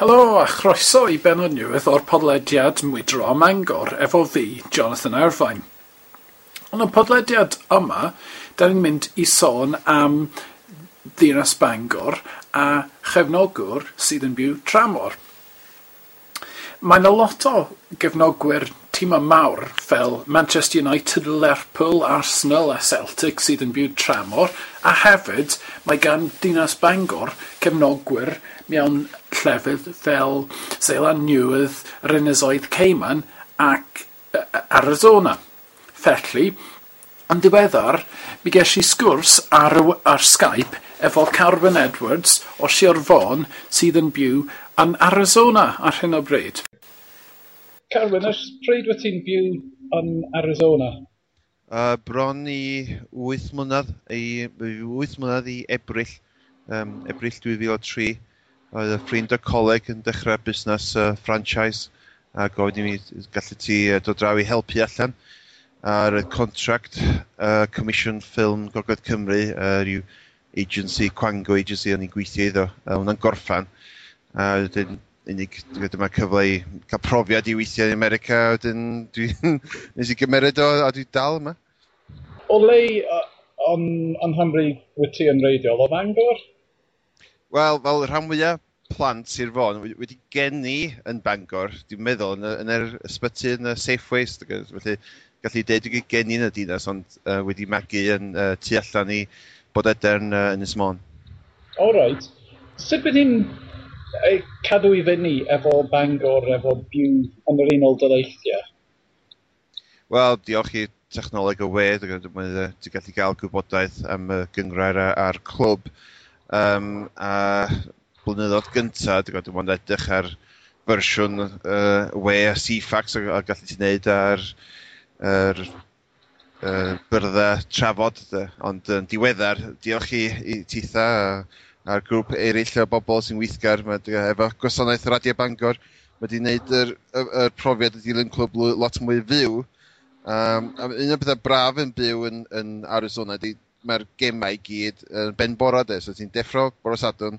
Helo a chroeso i bennod newydd o'r podlediad Mwydro a Mangor efo fi, Jonathan Irvine. Yn y podlediad yma, da ni'n mynd i sôn am ddinas Bangor a chefnogwr sydd yn byw tramor. Mae 'na lot o gefnogwyr timau mawr fel Manchester United, Lerpwl, Arsenal a Celtic sydd yn byw tramor, a hefyd mae gan Dinas Bangor cefnogwyr mewn llefydd fel Seland Newydd, yr Ynysoedd Cayman ac Arizona. Felly, yn ddiweddar, mi ges i sgwrs ar Skype efo Carwyn Edwards o Sir Fôn sydd yn byw yn Arizona ar hyn o bryd. Carwyn, ers pryd wyt ti'n byw yn Arizona? Bron i 8 mlynedd, i 8 mlynedd i Ebrill, Ebrill 2003. Oedd y ffrind o'r coleg yn dechrau busnes franchise a gofyn i mi gallu ti dod draw i helpu allan ar y contract Comisiwn Ffilm Gogledd Cymru, rhyw agency, Quango agency o'n i'n gweithio iddo. Hwnna'n gorffan. A wedyn unig dyma cyfle i cael profiad i weithio yn America, a wedyn nes i gymeryd o a dwi dal yma. O le yn Nghymru wyt ti yn wreiddiol? O Fangor? Wel, fel rhan fwyaf plant Sir Fôn, wedi geni yn Bangor, dwi'n meddwl, yn yr ysbyty yn y Safeways, felly gallu deud wedi geni yn y dinas, ond wedi magu yn tu allan i Bodedern Ynys Môn. All right. Sut bydd hi'n cadw i fyny efo Bangor, efo byw yn yr Unol Daleithiau? Wel, diolch i technoleg y we, ti'n gallu gael gwybodaeth am y gynghrair a'r clwb. A blynyddoedd gyntaf, dwi'n gwybod, dwi'n edrych ar fersiwn we a Ceefax a gallu ti wneud ar yr byrddau trafod. De. Ond yn diweddar, diolch i titha a'r grŵp eraill o bobl sy'n weithgar mae, efo gwasanaeth Radio Bangor, mae wedi gwneud yr profiad y dilyn clwb lot mwy fyw. A un o'r pethau braf yn byw yn Arizona ydy mae'r gemau i gyd yn ben bora de, so ti'n deffro bore Sadwrn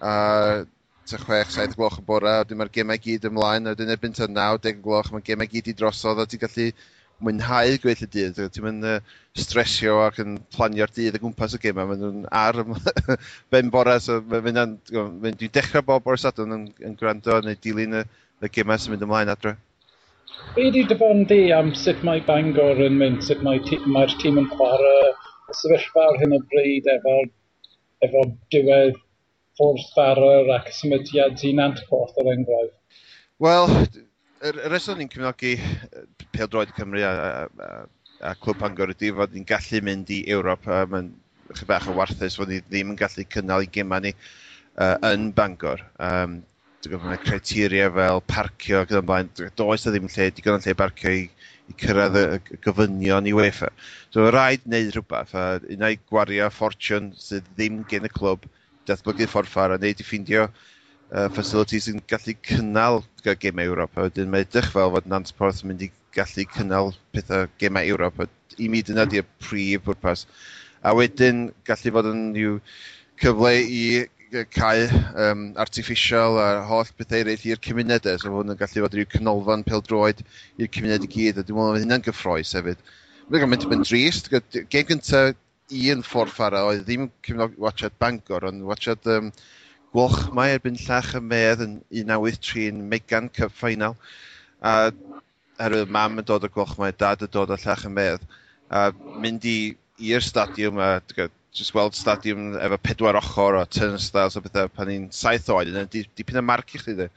a tua 6, 7 gloch y bora, a wedyn mae'r gemau i gyd ymlaen, a wedyn erbyn tua 9, 10 gloch, mae'r gemau i gyd i drosodd, a ti'n gallu mwynhau gweddill y dydd. Ti'n mynd stresio ac yn planio'r dydd o gwmpas y gemau, maen nhw'n ar ben bora, so dwi'n dechrau bob bore Sadwrn yn gwrando neu dilyn y gemau sy'n mynd ymlaen adre. Be di dy farn di am sut mae Bangor yn mynd, sut mae'r tîm yn chwarae, y sefyllfa ar hyn o bryd efo diwedd Ffordd Farrar ac symudiad i Nantporth er enghraifft? Wel, y reswm ni'n cefnogi pêl-droed Cymru a Clwb Bangor ydy fod ni'n gallu mynd i Ewrop, a mae'n chydig bach o warthus fod ni ddim yn gallu cynnal i gemau ni yn Bangor. Dwi'n gwybod, mae criteria fel parcio ac yn y blaen, does na ddim lle, digon o lle parcio i cyrraedd y gofynion i UEFA. So mae rhaid wneud rhywbeth, a unai gwario ffortiwn sydd ddim gen y clwb, datblygu Ffordd Ffarrar, a wneud i ffeindio facilities sy'n gallu cynnal gemau Ewrop. A wedyn mae edrych fel fod Nantporth yn mynd i gallu cynnal pethau gemau Ewrop. A i mi dyna di'r prif bwrpas. A wedyn gallu fod yn rhyw cyfle i cae artificial a holl bethau eraill i'r cymunedau. So hwn yn gallu fod rhyw canolfan pêl-droed i'r cymuned i gyd. A dwi'n meddwl mae hynna'n gyffrous hefyd. Mae'n mynd yn drist. Gêm gyntaf un Ffordd Ffarrar oedd ddim cefnog watchad Bangor, ond watchad Gwalchmai erbyn Llach y Medd yn 1983 yn Megan Cup Final. A oherwydd mam yn dod o Gwalchmai, dad yn dod o Llach y Medd. A mynd i'r stadiwm a just weld stadiwm efo pedwar ochr o turnstiles a bethau pan i'n 7 oed, yna dipyn o marc i chdi de.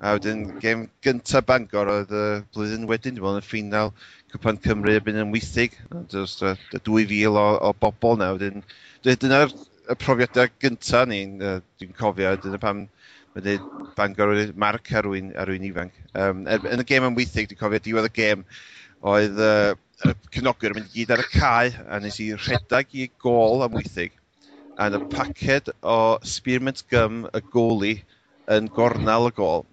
A wedyn gêm gyntaf Bangor oedd y blwyddyn wedyn, dwi'n meddwl, yn y ffeinal Cwpan Cymru erbyn yn Amwythig. Dros 2,000 o bobl na. Wedyn, dyna'r y profiadau gyntaf ni'n dwi'n cofio, dyna pam mae'n dweud Bangor wedi marc ar rywun ifanc. Yn y gêm Amwythig, dwi'n cofio diwedd y gêm, oedd y cefnogwyr yn mynd i gyd ar y cae, a nes i rhedeg i gôl Amwythig, a yn y paced o spearmint gum y goalie yn gornel y gôl.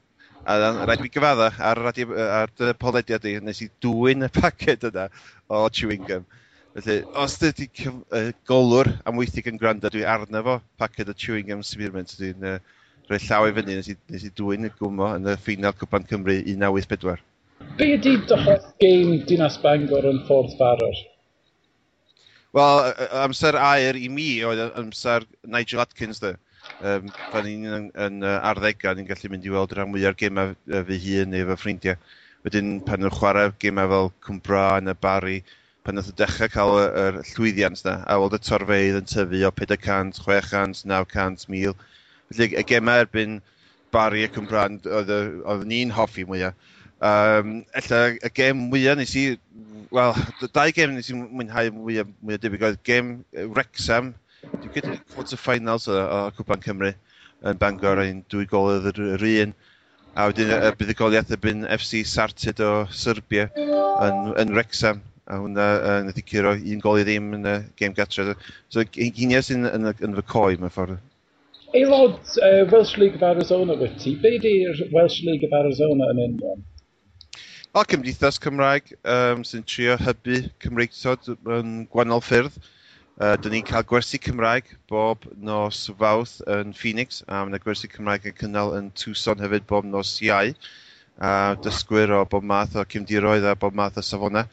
A rhaid i fi gyfadda ar, radio, ar dy podlediad i, nes i dwyn y paced yna o chewing gum. Felly, os dydy golwr Amwythig yn gwrando, dwi arno fo paced o chewing gum spearmint, dwi'n rhoi llaw i fyny, nes i dwyn y gwmo yn y ffeinal Cwpan Cymru 1984. Be ydy dy hoff gêm Dinas Bangor yn Ffordd Farrer? Wel, amser aur i mi oedd amser Nigel Adkins, de. Pan ni'n yn arddegau, ni'n gallu mynd i weld rhan mwyaf o'r gemau fy hun neu fy ffrindiau. Wedyn, pan nhw'n chwarae gemau fel Cwmbran a Barry, pan nath o dechrau cael yr llwyddiant na, a weld y torfeydd yn tyfu o 400, 600, 900, 1000. Felly y gemau erbyn Barry a Cwmbran oedd ni'n hoffi mwyaf. Ella y gêm mwyaf nes i, wel, dau gêm nes i mwynhau mwyaf debyg oedd gêm Wrexham, dwi'n credu quarter finals o Cwpan Cymru yn Bangor, ein 2 gol oedd yr un. A wedyn y buddugoliaeth erbyn FC Sartid o Serbia yn Wrexham. A hwnna nath i curo 1 gol i ddim yn y gêm gatre. So, hynny sy'n yn fy coi mewn ffordd. Aelod Welsh League of Arizona wyt ti. Be di'r Welsh League of Arizona yn union? O, cymdeithas Cymraeg sy'n trio hybu Cymreictod yn gwahanol ffyrdd. Dyn ni'n cael gwersi Cymraeg bob nos Fawrth yn Phoenix, a mae yna gwersi Cymraeg yn cynnal yn Tucson hefyd bob nos Iau. A dysgwyr o bob math o cefndiroedd a bob math o safonau.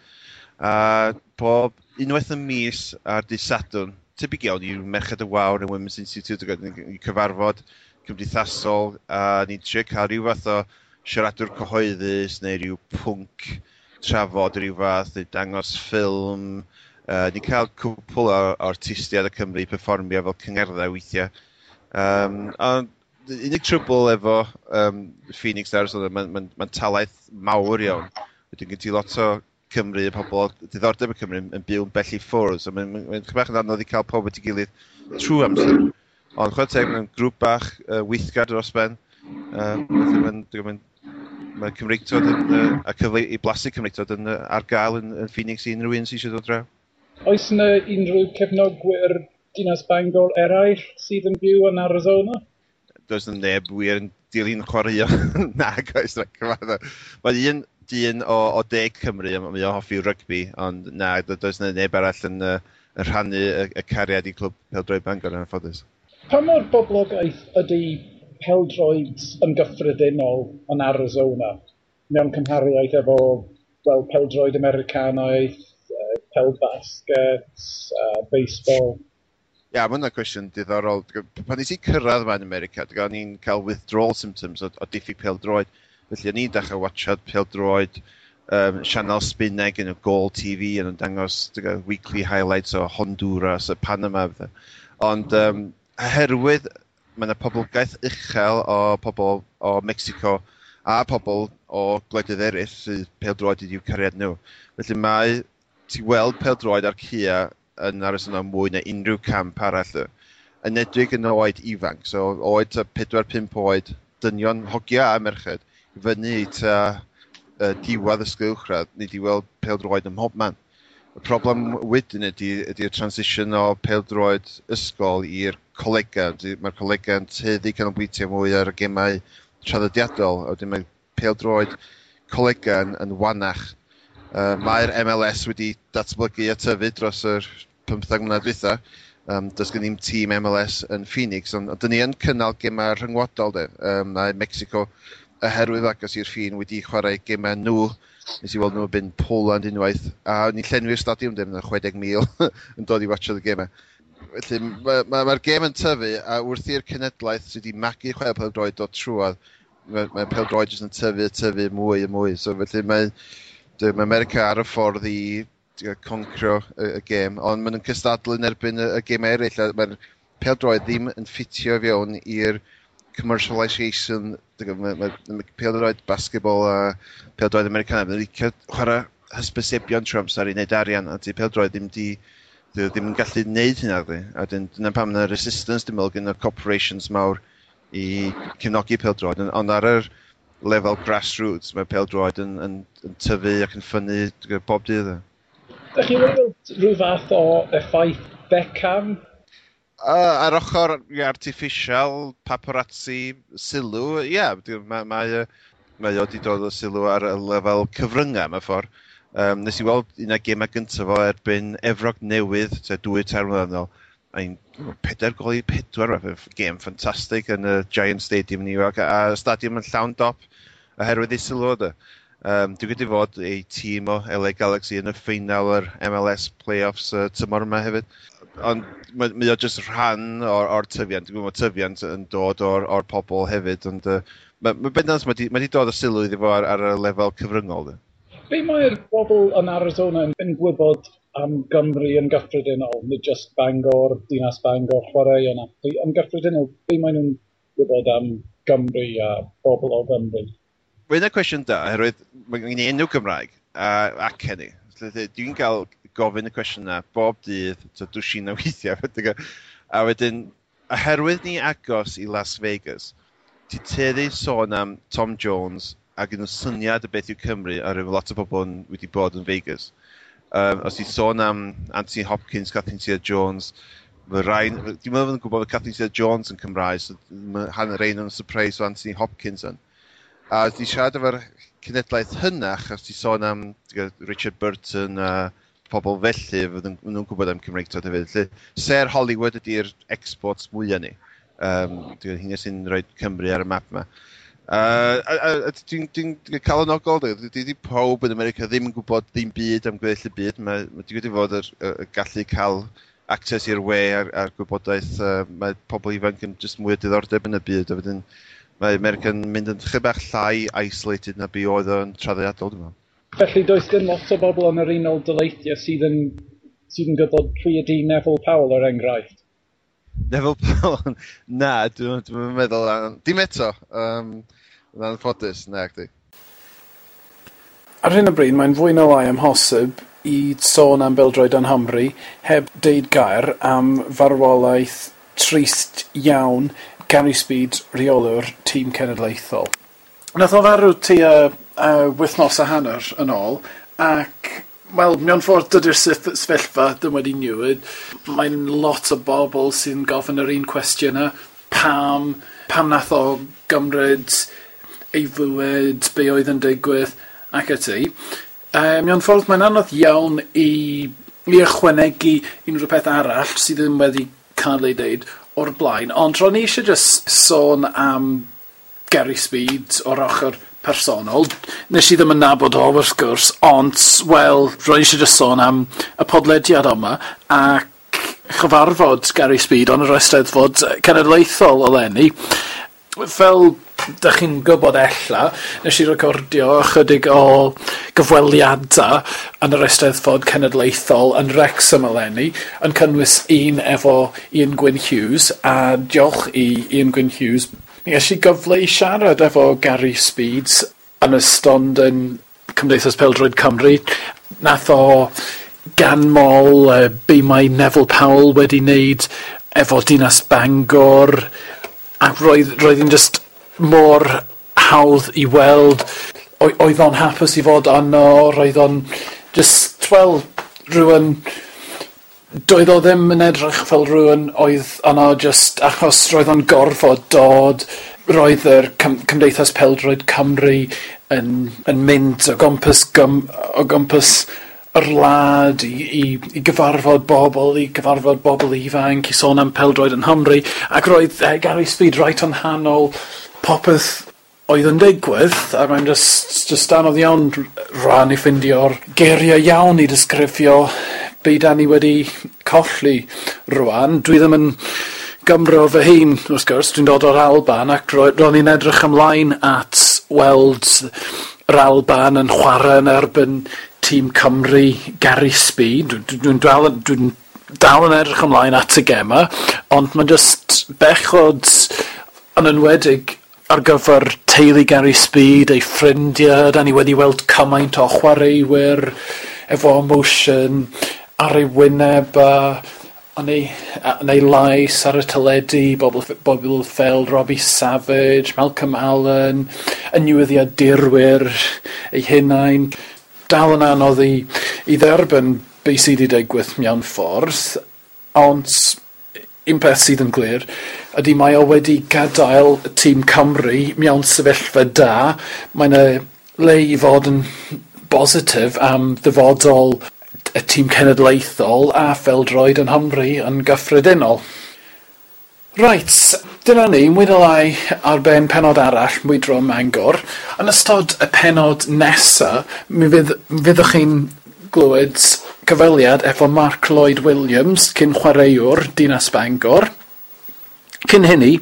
A bob unwaith y mis ar dydd Sadwrn, tebyg iawn i Merched y Wawr yn Women's Institute, i cyfarfod cymdeithasol, a ni'n trio cael rhyw fath o siaradwr cyhoeddus neu rhyw pwnc trafod rhyw fath, neu dangos ffilm. Ni'n cael cwpl o artistiaid o Cymru i perfformio fel cyngerddau weithiau. Ond unig trwbl efo Phoenix Arizona, mae'n ma talaith mawr iawn. Wedyn gen ti lot o Cymru, pobl diddordeb y Cymru yn byw yn bell i ffwrdd. So mae'n ma bach yn anodd i cael pob at ei gilydd trwy amser. Ond chwarae teg, mae'n grŵp bach weithgar dros ben. Felly mae Cymreictod a cyfle i blasu Cymreictod ar gael yn Phoenix i unrhyw un sydd eisiau dod draw. Oes yna unrhyw cefnogwyr Dinas Bangor eraill sydd yn byw yn Arizona? Does yna neb wir yn dilyn chwaraeon. Nag oes, na cyfarfod. Mae un dyn o De Cymru, mae o'n hoffi rygbi, ond na, does yna neb arall yn rhannu y cariad i Clwb Pêl-droed Bangor yn anffodus. Pa mor boblogaeth ydy pêl-droed yn gyffredinol yn Arizona mewn cymhariaeth efo, wel, pêl-droed Americanaidd, pêl basket, baseball? Ia, yeah, mae hwnna'n cwestiwn diddorol. Pan nes i cyrraedd yma yn America, o'n i'n cael withdrawal symptoms o diffyg pêl-droed. Felly o'n i'n dechrau watchad pêl-droed, sianel Sbaeneg yn y Goal TV yn dangos weekly highlights o Honduras a Panama. Fatha. Ond oherwydd mae yna poblogaeth uchel o pobl o Mexico a pobl o gwledydd eraill sydd pêl-droed ydy'w cariad nhw. Felly mae ti weld pêl-droed ar caea yn Arizona mwy na unrhyw camp arall. Yn edrych yn oed ifanc, so oed ta 4-5 oed, dynion, hogia a merched, i fyny i ta diwedd ysgol uwchradd, ni di weld pêl-droed ym mhob man. Y problem wedyn ydy'r transition o pêl-droed ysgol i'r colega. Mae'r colega yn tueddu canolbwyntio mwy ar y gemau traddodiadol, a wedyn mae pêl-droed colega yn wanach. Mae'r MLS wedi datblygu a tyfu dros yr 15 mlynedd dwytha. Does gen i'm tîm MLS yn Phoenix, ond dyn ni yn cynnal gemau rhyngwladol, de. Mae Mexico, oherwydd agos i'r ffin, wedi chwarae gemau nhw. Nes i weld nhw yn Poland unwaith, a ni'n llenwi'r stadiwm dim, 60,000 yn dod i watchad y gemau. Felly mae'r ma gêm yn tyfu, a wrth i'r cenedlaeth sydd wedi magu chwarae pêl-droed dod trwodd, mae pêl-droed jyst yn tyfu, tyfu mwy a mwy. So felly mae America ar y ffordd i concro y gêm, ond maen nhw'n cystadlu yn erbyn y gêm eraill, a mae'r pêl-droed ddim yn ffitio fewn i'r commercialisation. Mae pêl-droed basketball a pêl-droed Americanaidd, maen nhw'n licio chwarae hysbysebion trwy amser i wneud arian, a di pêl-droed ddim yn gallu wneud hynna, di. A dyna pam yna resistance, dwi'n meddwl, gyda corporations mawr i cefnogi pêl-droed, ond ar yr lefel grassroots, mae pêl-droed yn tyfu ac yn ffynnu bob dydd. Ydych chi wedi gweld rhyw fath o effaith Beckham? Ar ochr artificial, paparazzi, sylw, ie, yeah, mae o wedi dod o sylw ar y lefel cyfryngau mewn ffordd. Nes i weld un o'r gemau gyntaf o erbyn Efrog Newydd, tua 2-3 mlynedd yn ôl. Ein 4-4, gêm ffantastig yn y Giant Stadium New York, a stadiwm yn llawn dop oherwydd ei sylw o. Dwi'n gwybod fod ei tîm o LA Galaxy yn y ffeinal yr MLS playoffs tymor yma hefyd. Ond mae o jyst rhan o'r tyfiant. Dwi'n gwybod bod tyfiant yn dod o'r pobl hefyd, ond mae bendant mae di dod o sylw iddo fo ar y lefel cyfryngol. Be mae'r bobl yn Arizona yn gwybod am Gymru yn gyffredinol, nid just Bangor, dinas Bangor, chwaraeon ati. Yn gyffredinol, be maen nhw'n gwybod am Gymru a bobl o Gymru? Mae'n yna cwestiwn da, oherwydd mae gen i enw Cymraeg a acen i. Dwi'n cael gofyn y cwestiwn yna bob dydd, so dwsin o weithiau. A wedyn, oherwydd ni agos i Las Vegas, ti tueddu sôn am Tom Jones a gyda syniad o beth yw Cymru, a rhyw lot o bobl wedi bod yn Vegas. Os ti sôn am Anthony Hopkins, Catherine Zeta-Jones, mae rai, dwi'n meddwl yn gwybod bod Catherine Zeta-Jones yn Cymraeg, so mae hanner ein yn surprise o Anthony Hopkins yn. A os ti siarad efo'r cenedlaeth hynach, os ti sôn am Richard Burton a pobl felly, fydden nhw'n gwybod am Cymreictod hefyd. Felly, ser Hollywood ydy'r exports mwyaf ni. Hynny sy'n rhoi Cymru ar y map yma. A dwi'n calonogol, dwi pawb yn America ddim yn gwybod ddim byd am gweddill y byd. Mae wedi fod y gallu cael access i'r we a'r gwybodaeth. Mae pobl ifanc yn just mwy o diddordeb yn y byd. A wedyn mae America yn mynd yn chydig bach llai isolated na be oedd o'n traddodiadol, dwi'n meddwl. Felly does dim lot o bobl yn yr Unol Daleithiau sydd yn gwybod pwy ydy Neville Powell, er enghraifft? Neville Powell? Na, dwi'n meddwl... Dim eto. Yn anffodus, na, chdi. Ar hyn o bryd, mae'n fwy na lai amhosib i sôn am bêl-droed yng Nghymru heb deud gair am farwolaeth trist iawn Gary Speed, rheolwr tîm cenedlaethol. Nath o farw tua wythnos a hanner yn ôl, ac, wel, mewn ffordd dydy'r sefyllfa ddim wedi newid. Mae'n lot o bobl sy'n gofyn yr un cwestiynau. Pam nath o gymryd ei fywyd, be oedd yn digwydd, ac ati. Mewn ffordd mae'n anodd iawn i ychwanegu unrhyw peth arall sydd ddim wedi cael ei deud o'r blaen. Ond ro'n i eisiau just sôn am Gary Speed o'r ochr personol. Nes i ddim yn nabod o, wrth gwrs, ond, wel, ro'n i eisiau just sôn am y podlediad yma ac chyfarfod Gary Speed yn yr Eisteddfod Cenedlaethol eleni. Fel dych chi'n gwybod ella, nes i recordio ychydig o gyfweliadau yn yr Eisteddfod Cenedlaethol yn Wrexham eleni, yn cynnwys un efo Ian Gwyn Hughes, a diolch i Ian Gwyn Hughes, nes i gyfle i siarad efo Gary Speed yn y stond yn Cymdeithas Pêl-droed Cymru. Nath o ganmol be mae Neville Powell wedi wneud efo Dinas Bangor, ac roedd hi'n just mor hawdd i weld. Oedd o'n hapus i fod yno, roedd o'n just, wel, rhywun... Doedd o ddim yn edrych fel rhywun oedd yno just achos roedd o'n gorfod dod. Roedd yr Cymdeithas Pêl-droed Cymru yn mynd o gwmpas yr wlad i gyfarfod bobl, i gyfarfod bobl ifanc, i sôn am pêl-droed yn Nghymru, ac roedd Gary Speed right yn nghanol popeth oedd yn digwydd, a mae'n just anodd iawn rhan i ffeindio'r geiriau iawn i disgrifio be da ni wedi colli rwan. Dwi ddim yn Gymro fy hun, wrth gwrs, dwi'n dod o'r Alban, ac ro'n i'n edrych ymlaen at weld yr Alban yn chwarae yn erbyn tîm Cymru Gary Speed. Dwi'n dal yn edrych ymlaen at y gema, ond mae'n just bechod, yn enwedig ar gyfer teulu Gary Speed, ei ffrindiau. Da ni wedi weld cymaint o chwaraewyr efo emotion ar ei wyneb a yn ei lais ar y teledu, bobl fel Robbie Savage, Malcolm Allen, y newyddiadurwyr eu hunain. Dal yn anodd i dderbyn beth sydd wedi digwydd mewn ffordd, ond un peth sydd yn glir ydy mae o wedi gadael y tîm Cymru mewn sefyllfa da. Mae'n y le i fod yn bositif am ddyfodol y tîm cenedlaethol a phêl-droed yng Nghymru yn gyffredinol. Reit, dyna ni, mwy neu lai ar ben pennod arall Mwydro Mangor. Yn ystod y pennod nesa, mi fydd, fyddwch chi'n glywed cyfweliad efo Mark Lloyd Williams, cyn chwaraewr Dinas Bangor. Cyn hynny,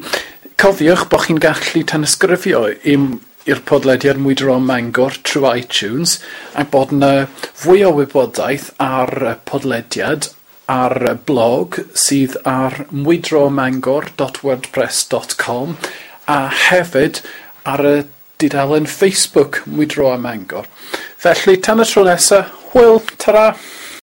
cofiwch bod chi'n gallu tanysgrifio i'r podlediad Mwydro Mangor trwy iTunes a bod yna fwy o wybodaeth ar y podlediad ar y blog sydd ar mwydromangor.wordpress.com a hefyd ar y dudalen Facebook Mwydro a Mangor. Felly, tan y tro nesa, hwyl, tara!